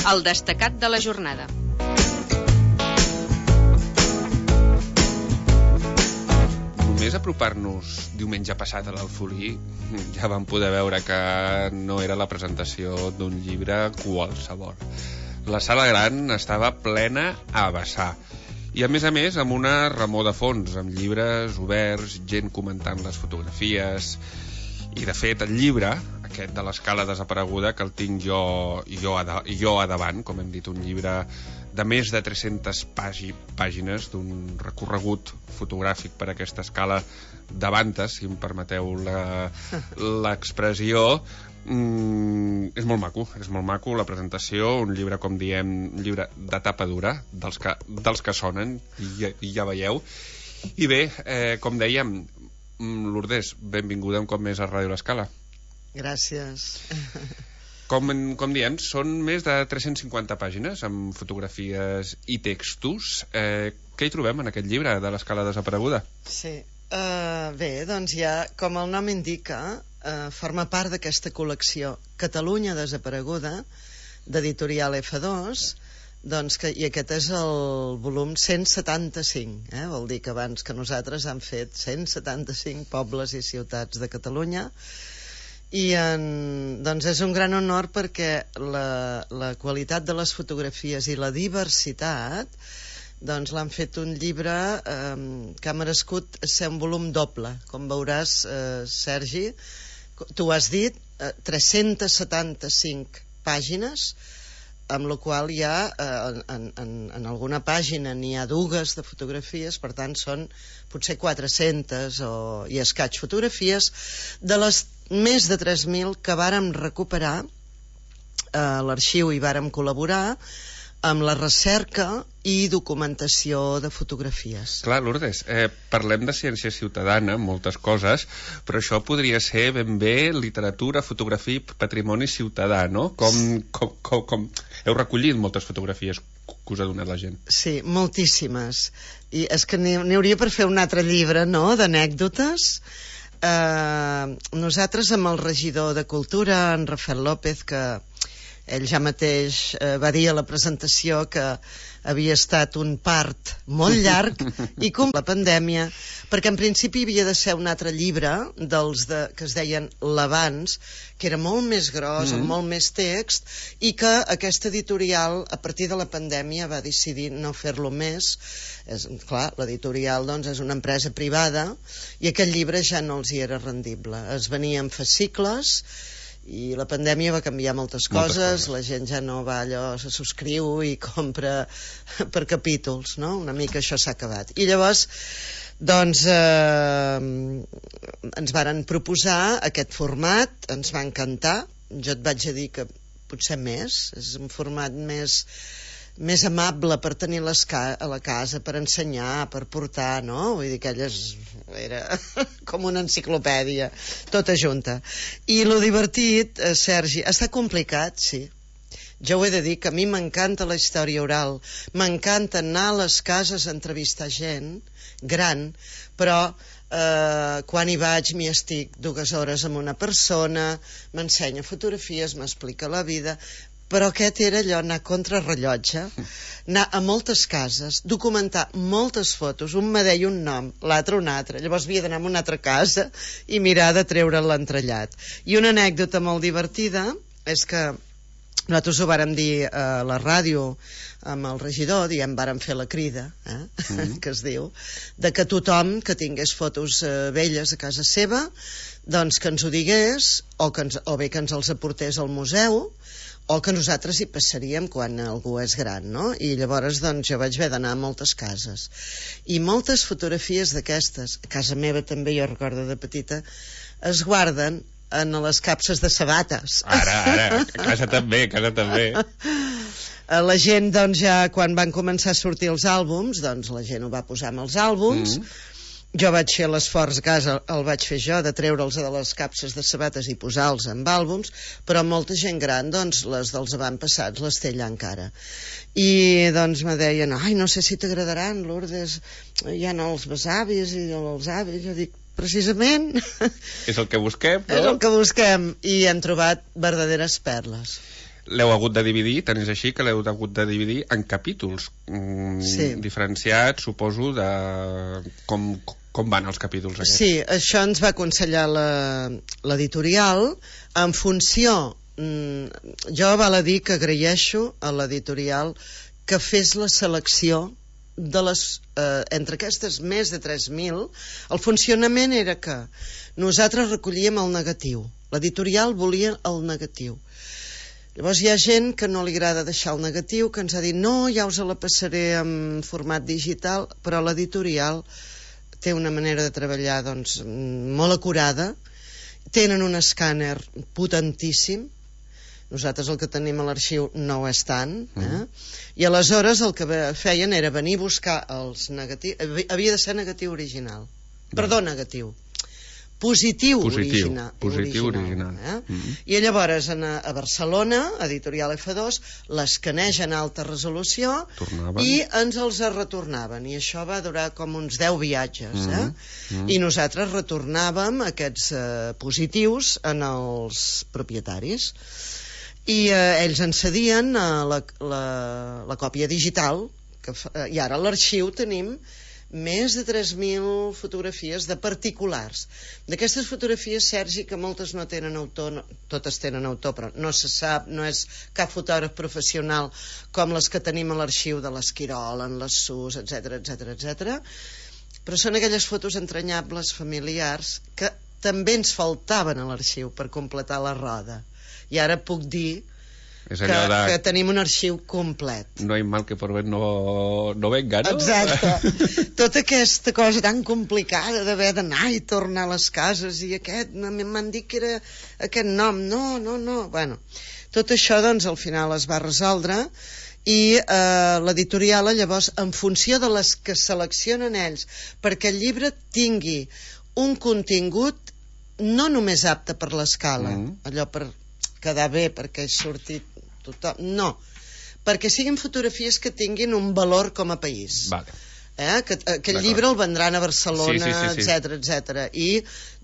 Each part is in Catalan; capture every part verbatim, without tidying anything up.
El destacat de la jornada. Només apropar-nos diumenge passat a l'Alfolí ja vam poder veure que no era la presentació d'un llibre qualsevol. La sala gran estava plena a vessar. I a més a més amb una remor de fons, amb llibres oberts, gent comentant les fotografies. I de fet el llibre, aquest de l'escala desapareguda, que el tinc jo, jo, a, jo a davant, com hem dit, un llibre de més de tres-centes pàgines d'un recorregut fotogràfic per aquesta escala de Vantes, si em permeteu l'expressió. Mm, és molt maco, és molt maco la presentació, un llibre, com diem, un llibre de tapa dura, dels que, dels que sonen, i ja, i ja veieu. I bé, eh, com dèiem, Lourdes, benvinguda un cop més a Ràdio L'Escala. Gràcies. Com, com diem, són més de tres-centes cinquanta pàgines amb fotografies i textos. Eh, què hi trobem en aquest llibre de l'Escala desapareguda? Sí, uh, bé, doncs ja, com el nom indica, uh, forma part d'aquesta col·lecció Catalunya desapareguda, d'editorial efa dos, doncs que, i aquest és el volum cent setanta-cinc, eh? Vol dir que abans que nosaltres han fet cent setanta-cinc pobles i ciutats de Catalunya. I en, doncs és un gran honor perquè la, la qualitat de les fotografies i la diversitat doncs l'han fet un llibre eh, que ha merescut ser un volum doble. Com veuràs, eh, Sergi, tu has dit, eh, tres-centes setanta-cinc pàgines, amb la qual hi ha, eh, en, en, en alguna pàgina n'hi ha dues de fotografies, per tant són potser quatre-centes o, i escaig fotografies de les més de tres mil que vàrem recuperar a eh, l'arxiu i vàrem col·laborar amb la recerca i documentació de fotografies. Clar, Lourdes, eh, parlem de ciència ciutadana, moltes coses, però això podria ser ben bé literatura, fotografia i patrimoni ciutadà, no? Com, com, com, com... Heu recollit moltes fotografies que us ha donat la gent. Sí, moltíssimes. I és que n'hi hauria per fer un altre llibre, no?, d'anècdotes. Eh, nosaltres amb el regidor de Cultura, en Rafael López, que ell ja mateix eh, va dir a la presentació que havia estat un part molt llarg i com la pandèmia, perquè en principi havia de ser un altre llibre dels de, que es deien l'abans, que era molt més gros, mm-hmm. amb molt més text, i que aquesta editorial a partir de la pandèmia va decidir no fer-lo més. És, clar, l'editorial doncs, és una empresa privada i aquest llibre ja no els hi era rendible. Es venia en fascicles i la pandèmia va canviar moltes coses, moltes coses. La gent ja no va allò, se subscriu i compra per capítols, no? Una mica això s'ha acabat. I llavors, doncs, eh, ens varen proposar aquest format, ens va encantar. Jo et vaig a dir que potser més, és un format més... més amable per tenir les ca a la casa, per ensenyar, per portar, no? Vull dir que ella és, era com una enciclopèdia, tota junta. I lo divertit, eh, Sergi, està complicat, sí. Jo ho he de dir, que a mi m'encanta la història oral, m'encanta anar a les cases a entrevistar gent gran, però eh, quan hi vaig m'hi estic dues hores amb una persona, m'ensenya fotografies, m'explica la vida... Però aquest era allò, anar contra rellotge, anar a moltes cases, documentar moltes fotos, un me deia un nom, l'altre un altre, llavors havia d'anar a una altra casa i mirar de treure l'entrellat. I una anècdota molt divertida és que nosaltres ho vàrem dir a la ràdio amb el regidor, diem, vàrem fer la crida, eh? Mm-hmm. que es diu, de que tothom que tingués fotos eh, velles a casa seva, doncs que ens ho digués, o, que ens, o bé que ens els aportés al museu, o que nosaltres hi passaríem quan algú és gran, no? I llavors doncs jo vaig haver d'anar a moltes cases i moltes fotografies d'aquestes, a casa meva també, jo recordo de petita, es guarden en les capses de sabates. Ara, ara, a casa també, a casa també. La gent doncs ja quan van començar a sortir els àlbums, doncs la gent ho va posar amb els àlbums. Mm. Jo vaig fer l'esforç, gas el, el vaig fer jo, de treure'ls de les capses de sabates i posar-los en àlbums, però molta gent gran, doncs, les dels avantpassats les té allà encara. I doncs me deien, ai, no sé si t'agradaran, Lourdes, hi ha els besavis i els avis. Jo dic, precisament... És el que busquem, no? És el que busquem, i hem trobat verdaderes perles. l'heu hagut de dividir, tant és així que l'heu hagut de dividir en capítols mm, sí. diferenciats, suposo, de com, com van els capítols aquests. Sí, això ens va aconsellar l'editorial en funció, mm, jo val a dir que agraeixo a l'editorial que fes la selecció de les, eh, entre aquestes més de tres mil. El funcionament era que nosaltres recollíem el negatiu, l'editorial volia el negatiu. Llavors hi ha gent que no li agrada deixar el negatiu, que ens ha dit no, ja us la passaré en format digital, però l'editorial té una manera de treballar doncs, molt acurada, tenen un escàner potentíssim, nosaltres el que tenim a l'arxiu no ho és tant, eh? Mm. I aleshores el que feien era venir a buscar els negatius, havia de ser negatiu original, mm. perdó, negatiu, positiu, positiu original, positiu original, original eh? mm. I llavors a, a Barcelona, editorial F dos, l'escanegen a alta resolució tornaven. I ens els retornaven, i això va durar com uns deu viatges, eh? mm. Mm. I nosaltres retornàvem aquests eh, positius en els propietaris, i eh, ells ens cedien eh, la, la, la còpia digital que fa, eh, i ara a l'arxiu tenim més de tres mil fotografies de particulars. D'aquestes fotografies, Sergi, que moltes no tenen autor, no, totes tenen autor, però no se sap, no és cap fotògraf professional com les que tenim a l'arxiu de l'Esquirol, en les Sus, etcètera, etcètera, etcètera. Però són aquelles fotos entranyables, familiars, que també ens faltaven a l'arxiu per completar la roda. I ara puc dir és que, de... que tenim un arxiu complet. No hi mal que por ver no, no venga, no? Exacte. Tota aquesta cosa tan complicada d'haver d'anar i tornar a les cases i aquest, m'han dit que era aquest nom, no, no, no. Bueno, tot això doncs al final es va resoldre i eh, l'editorial llavors, en funció de les que seleccionen ells perquè el llibre tingui un contingut no només apte per l'escala, mm. allò per quedar bé perquè he sortit tothom, no, perquè siguin fotografies que tinguin un valor com a país, vale. eh? que, que el llibre el vendran a Barcelona, sí, sí, sí, sí. etcètera, etcètera, i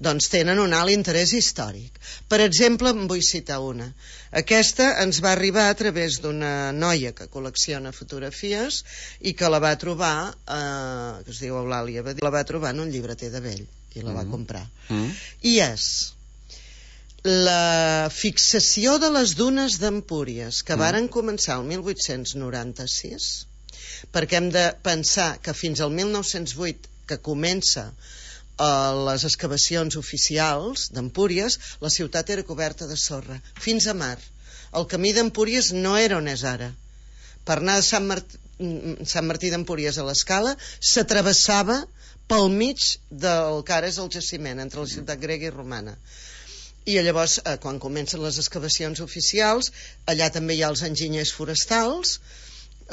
doncs tenen un alt interès històric. Per exemple, en vull citar una. Aquesta ens va arribar a través d'una noia que col·lecciona fotografies i que la va trobar eh, que es diu Eulàlia, la va trobar en un llibreter de Vell i la mm. va comprar mm. i és la fixació de les dunes d'Empúries que mm. varen començar el mil vuit-cents noranta-sis, perquè hem de pensar que fins al mil nou-cents vuit, que comença eh, les excavacions oficials d'Empúries, la ciutat era coberta de sorra fins a mar. El camí d'Empúries no era on és ara. Per anar de Sant, Mart... Sant Martí d'Empúries a l'Escala s'atravessava pel mig del que ara és el jaciment entre la ciutat grega i romana. I llavors, eh, quan comencen les excavacions oficials, allà també hi ha els enginyers forestals,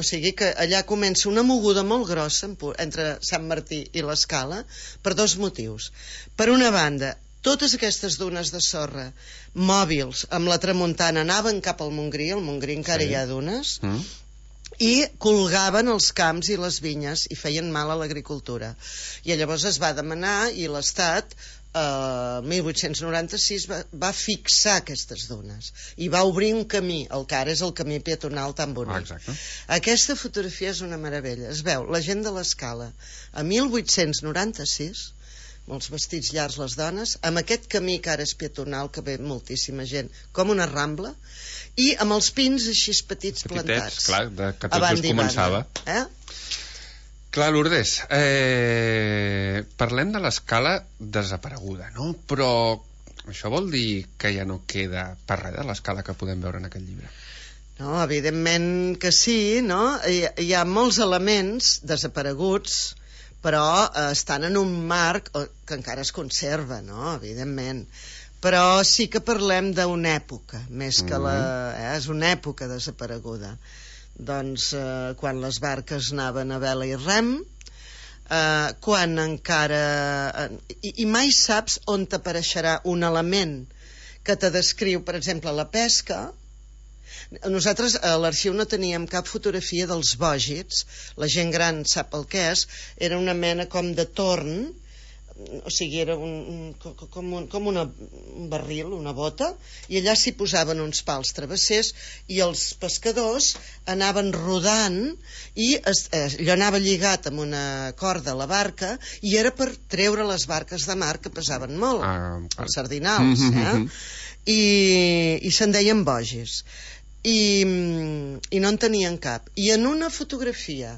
o sigui que allà comença una moguda molt grossa entre Sant Martí i l'Escala per dos motius. Per una banda, totes aquestes dunes de sorra mòbils amb la tramuntana anaven cap al Montgrí, al Montgrí encara sí. hi ha dunes, mm. i colgaven els camps i les vinyes i feien mal a l'agricultura. I llavors es va demanar i l'Estat el mil vuit-cents noranta-sis va, va fixar aquestes dunes i va obrir un camí, el que ara és el camí peatonal tan bonic. Exacte. Aquesta fotografia és una meravella. Es veu la gent de l'Escala a mil vuit-cents noranta-sis, molts vestits llargs les dones, amb aquest camí que ara és peatonal, que ve moltíssima gent, com una rambla, i amb els pins així petits, petitets, plantats. Clar, de, que tot just començava. Eh? Clar, Lourdes, eh, parlem de l'Escala desapareguda, no? Però això vol dir que ja no queda per res de l'Escala que podem veure en aquest llibre? No, evidentment que sí, no? Hi, hi ha molts elements desapareguts, però eh, estan en un marc que encara es conserva, no? Evidentment. Però sí que parlem d'una època, més que la... Eh, és una època desapareguda. Doncs eh, quan les barques anaven a vela i rem, eh, quan encara eh, i, i mai saps on t'apareixerà un element que te descriu, per exemple, la pesca. Nosaltres a l'arxiu no teníem cap fotografia dels bògits, la gent gran sap el que és, era una mena com de torn o sigui, era un, com, un, com una, un barril, una bota, i allà s'hi posaven uns pals travessers i els pescadors anaven rodant i es, allò anava lligat amb una corda a la barca i era per treure les barques de mar que pesaven molt, ah, els sardinals, eh? I, i se'n deien bogis. I, i no en tenien cap. I en una fotografia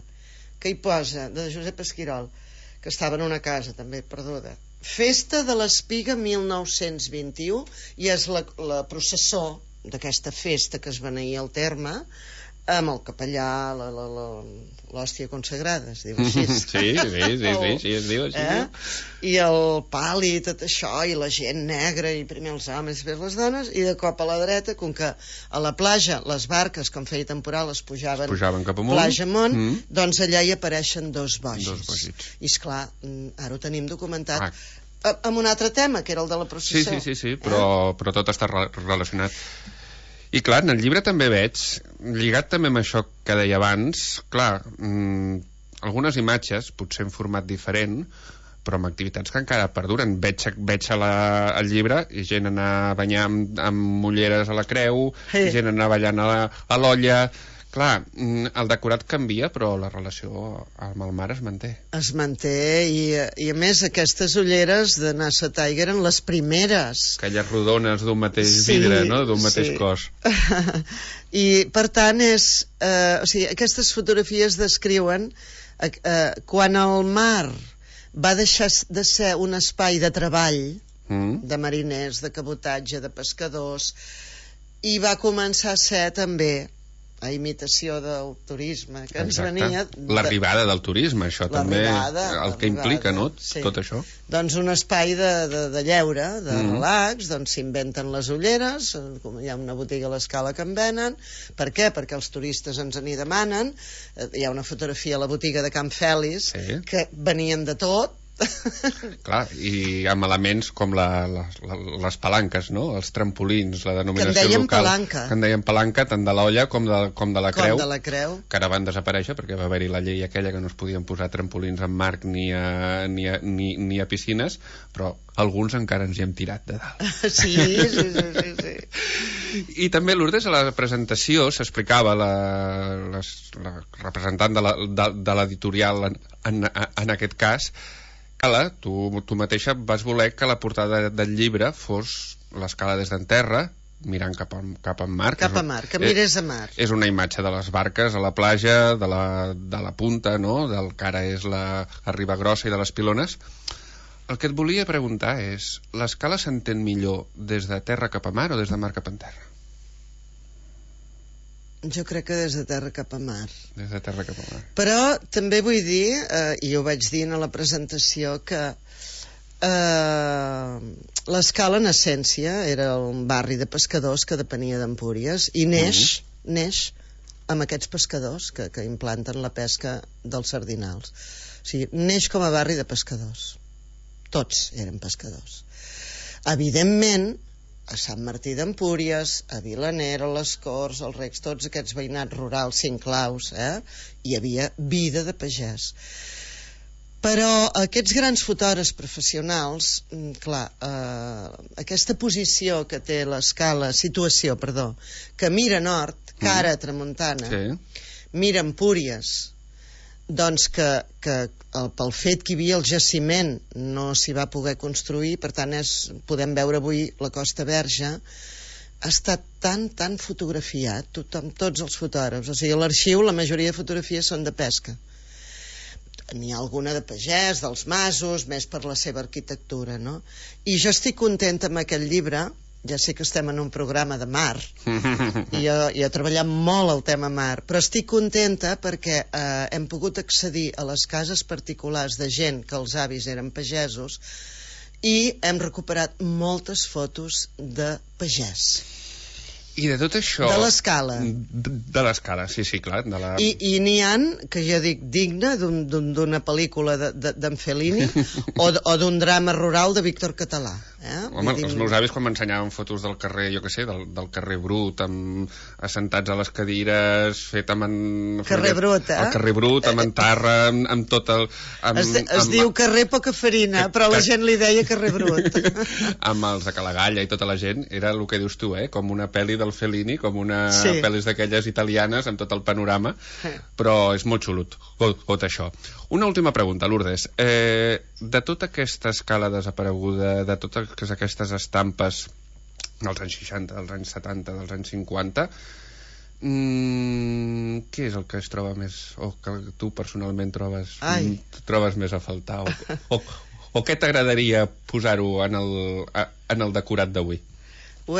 que hi posa, de Josep Esquirol, que estava en una casa també perduda, Festa de l'Espiga mil nou-cents vint-i-u, i és la, la processó d'aquesta festa que es beneïa al terme, amb el capellà, la, la, la, l'hòstia consagrada, es diu així. Sí, sí, sí, sí, sí, sí, es diu així. Eh? I el pal i tot això, i la gent negra, i primer els homes, després les dones, i de cop a la dreta, com que a la platja les barques, com feia temporal, es pujaven, es pujaven cap amunt, platja amunt, mm. doncs allà hi apareixen dos bogis. Dos bogis. I esclar, ara ho tenim documentat. Ah. Amb un altre tema, que era el de la processó. Sí, sí, sí, sí, però, eh? però tot està relacionat. I clar, en el llibre també veig, lligat també amb això que deia abans, clar, mmm, algunes imatges, potser en format diferent, però amb activitats que encara perduren. Veig, veig a la, al llibre i gent anar a banyar amb, amb ulleres a la creu, sí. Gent anar ballant a l'olla. Clar, el decorat canvia, però la relació amb el mar es manté. Es manté, i, i a més aquestes ulleres de Nasa Tiger eren les primeres. Aquelles rodones d'un mateix sí, vidre, no? D'un mateix sí. Cos. I per tant és... Eh, o sigui, aquestes fotografies descriuen eh, eh, quan el mar va deixar de ser un espai de treball, mm. de mariners, de cabotatge, de pescadors, i va començar a ser també a imitació del turisme que ens Exacte. Venia... De... L'arribada del turisme, això també, el que implica, no? Sí. Tot això. Doncs un espai de, de, de lleure, de mm. relax, doncs s'inventen les ulleres, hi ha una botiga a l'Escala que en venen. Per què? Perquè els turistes ens n'hi demanen. Hi ha una fotografia a la botiga de Can Fèlix, sí. Que venien de tot. Clar, i amb elements com la, la, la, les palanques, no? Els trampolins, la denominació que local palanca. Que en deien palanca tant de l'olla com de, com de la com creu, de la creu que ara van desaparèixer perquè va haver-hi la llei aquella que no es podien posar trampolins en marc ni a, ni a, ni, ni a piscines, però alguns encara ens hi hem tirat de dalt. Sí, sí, sí, sí, sí. I també, Lourdes, a la presentació s'explicava la, la, la representant de, la, de, de l'editorial en, en, en aquest cas, Tu, tu mateixa vas voler que la portada del llibre fos l'escala des d'en terra, mirant cap a, cap a mar. Cap a mar, que mirés a mar. És una imatge de les barques a la platja, de la, de la punta, no? Del que ara és la, la riba grossa i de les pilones. El que et volia preguntar és, l'escala s'entén millor des de terra cap a mar o des de mar cap a terra? Jo crec que des de terra cap a mar. Des de terra cap a mar. Però també vull dir, eh, i ho vaig dir a la presentació, que eh, l'Escala en essència era un barri de pescadors que depenia d'Empúries i neix, mm-hmm. neix amb aquests pescadors que, que implanten la pesca dels sardinals. O sigui, neix com a barri de pescadors. Tots eren pescadors. Evidentment, a Sant Martí d'Empúries, a Vilaner, a les Corts, als Recs, tots aquests veïnats rurals sinclaus, eh? Hi havia vida de pagès. Però aquests grans fotògrafs professionals, clar, eh, aquesta posició que té l'escala, situació, perdó, que mira nord, cara a tramuntana, sí. Mira Empúries, doncs que, que el, pel fet que hi havia el jaciment no s'hi va poder construir, per tant és, podem veure avui la Costa Verge, ha estat tan, tan fotografiat, tothom, tots els fotògrafs, o sigui, a l'arxiu la majoria de fotografies són de pesca. N'hi ha alguna de pagès, dels masos, més per la seva arquitectura, no? I jo estic contenta amb aquest llibre. Ja sé que estem en un programa de mar i jo, jo he treballat molt el tema mar, però estic contenta perquè eh, hem pogut accedir a les cases particulars de gent que els avis eren pagesos i hem recuperat moltes fotos de pagès. I de tot això... De l'escala. De, de l'escala, sí, sí, clar. De la... I, i n'hi ha, que jo dic, digne d'una un, pel·lícula d'en de, Fellini o, o d'un drama rural de Víctor Català. Eh? Home, els meus avis quan m'ensenyaven fotos del carrer, jo què sé, del, del carrer Brut, amb, assentats a les cadires, fet amb... En, carrer Brut, eh? El carrer Brut, amb entarra, amb, amb tot el... Amb, es, es amb, diu carrer poca farina, però la gent li deia carrer Brut. Amb els de Calagalla i tota la gent, era el que dius tu, eh? Com una pel·li del Fellini, com una sí. pel·lis d'aquelles italianes, amb tot el panorama, però és molt xulo tot, tot això. Una última pregunta, Lourdes. Eh, de tota aquesta escala desapareguda, de totes aquestes estampes dels anys seixanta, dels anys setanta, dels anys cinquanta, mmm, què és el que es troba més, o que tu personalment trobes, trobes més a faltar, o, o, o què t'agradaria posar-ho en el, en el decorat d'avui?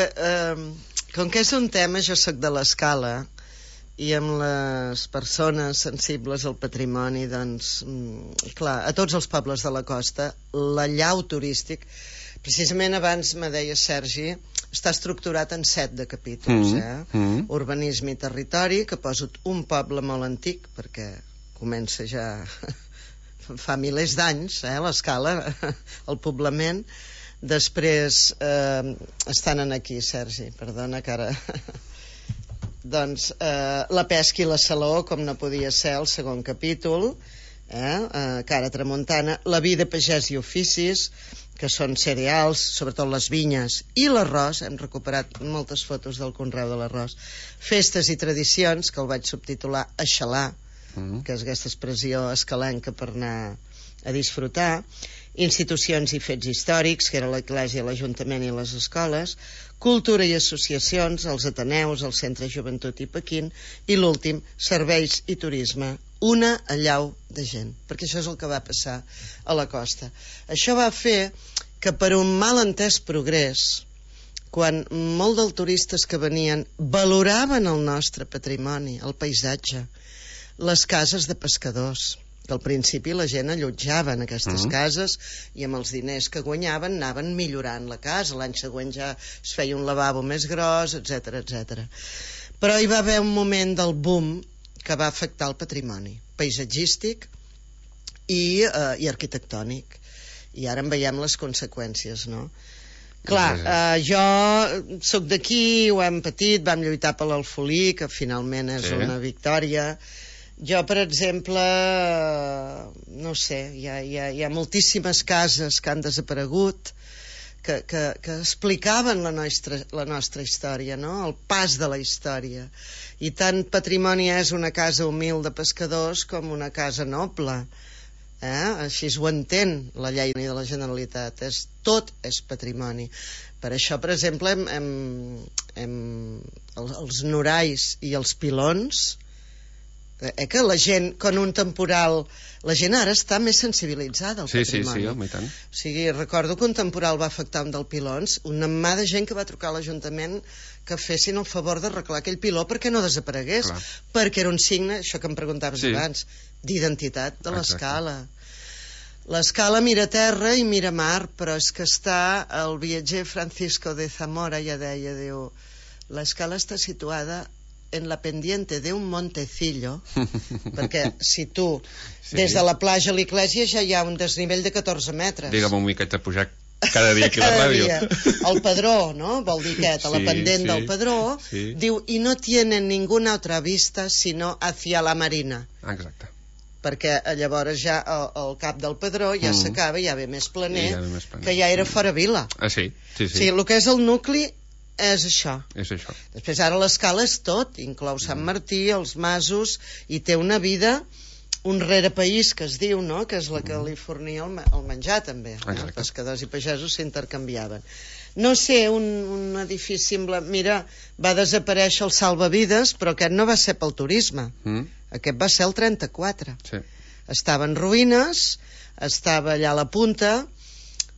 Eh, com que és un tema, jo sóc de l'Escala, i amb les persones sensibles al patrimoni, doncs, clar, a tots els pobles de la costa, l'allau turístic, precisament abans me deia Sergi, està estructurat en set de capítols, mm, eh? Mm. Urbanisme i territori, que poso un poble molt antic, perquè comença ja fa milers d'anys, eh, l'Escala, el poblament. Després eh, estan aquí, Sergi, perdona que ara... doncs eh, la pesca i la saló, com no podia ser el segon capítol, eh, eh, cara tramuntana, la vida, pagès i oficis, que són cereals, sobretot les vinyes i l'arròs, hem recuperat moltes fotos del conreu de l'arròs, festes i tradicions, que el vaig subtitular Aixalar, mm. que és aquesta expressió escalenca per anar a disfrutar, institucions i fets històrics, que era l'Església, l'Ajuntament i les escoles, cultura i associacions, els Ateneus, el Centre Joventut i Pequín, i l'últim, serveis i turisme, una allau de gent, perquè això és el que va passar a la costa. Això va fer que per un mal entès progrés, quan molt dels turistes que venien valoraven el nostre patrimoni, el paisatge, les cases de pescadors, que al principi la gent allotjava en aquestes mm. cases i amb els diners que guanyaven anaven millorant la casa, l'any següent ja es feia un lavabo més gros, etcètera, etcètera. Però hi va haver un moment del boom que va afectar el patrimoni paisatgístic i, eh, i arquitectònic, i ara en veiem les conseqüències, no? Clar, eh, jo sóc d'aquí, ho hem patit, vam lluitar per l'Alfolí, que finalment és sí. una victòria. Jo, per exemple, no sé, hi ha, hi ha, hi ha moltíssimes cases que han desaparegut, que, que, que explicaven la nostra, la nostra història, no? El pas de la història. I tant patrimoni és una casa humil de pescadors com una casa noble. Eh? Així ho entén la llei de la Generalitat. És, tot és patrimoni. Per això, per exemple, hem, hem, hem, els, els norais i els pilons, eh, que la gent, quan un temporal, la gent ara està més sensibilitzada al sí, patrimoni. Sí, sí, home, i tant. O sigui, recordo que un temporal va afectar un dels pilons, una mà de gent que va trucar a l'Ajuntament que fessin el favor d'arreglar aquell piló perquè no desaparegués. Clar. Perquè era un signe, això que em preguntaves sí. abans, d'identitat de l'Escala. L'Escala mira terra i mira mar, però és que està, el viatger Francisco de Zamora ja deia, diu, l'Escala està situada en la pendiente de un montecillo, perquè si tu, sí. des de la platja a l'Iglésia ja hi ha un desnivell de catorze metres. Digue'm un miquet de pujar cada dia aquí a la ràdio. El Pedró, no? Vol dir aquest, a la sí, pendent sí, del Pedró, sí. diu, i no tienen ninguna otra vista sino hacia la marina. Exacte. Perquè llavors ja al, al cap del Pedró ja mm. s'acaba, ja ve més planer, ja ve més planer, que ja era fora vila. Ah, sí? Sí, sí. Sí, el que és el nucli és això. És això. Després ara l'Escala és tot, inclou Sant Martí, els masos, i té una vida, un rerepaís que es diu, no?, que és la que li fornia el, el menjar també. Eh? Els pescadors i pagesos s'intercanviaven. No sé, un, un edifici amb la... Mira, va desaparèixer el salvavides, però aquest no va ser pel turisme. Mm. Aquest va ser el trenta-quatre. Sí. Estava en ruïnes, estava allà a la punta.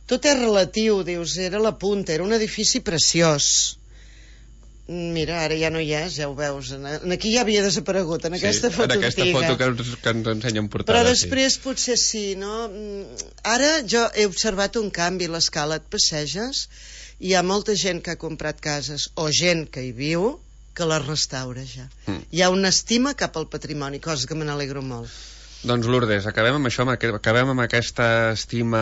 Tot és relatiu, dius, era la punta, era un edifici preciós. Mira, ara ja no hi és, ja ho veus. Aquí ja havia desaparegut, en aquesta sí, foto en aquesta antiga. foto que, que ens ensenyen portada. Però després sí. potser sí, no? Ara jo he observat un canvi, l'Escala et passeges, hi ha molta gent que ha comprat cases, o gent que hi viu, que les restaura ja. Mm. Hi ha una estima cap al patrimoni, cosa que me n'alegro molt. Doncs Lourdes, acabem amb això, acabem amb aquesta estima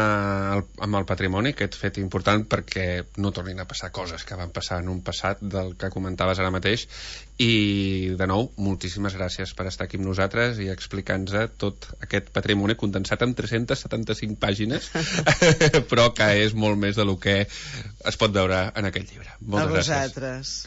amb el patrimoni, aquest fet important perquè no tornin a passar coses que van passar en un passat del que comentaves ara mateix, i de nou, moltíssimes gràcies per estar aquí amb nosaltres i explicar-nos tot aquest patrimoni condensat en tres-centes setanta-cinc pàgines però que és molt més del que es pot veure en aquest llibre. Moltes a gràcies. vosaltres.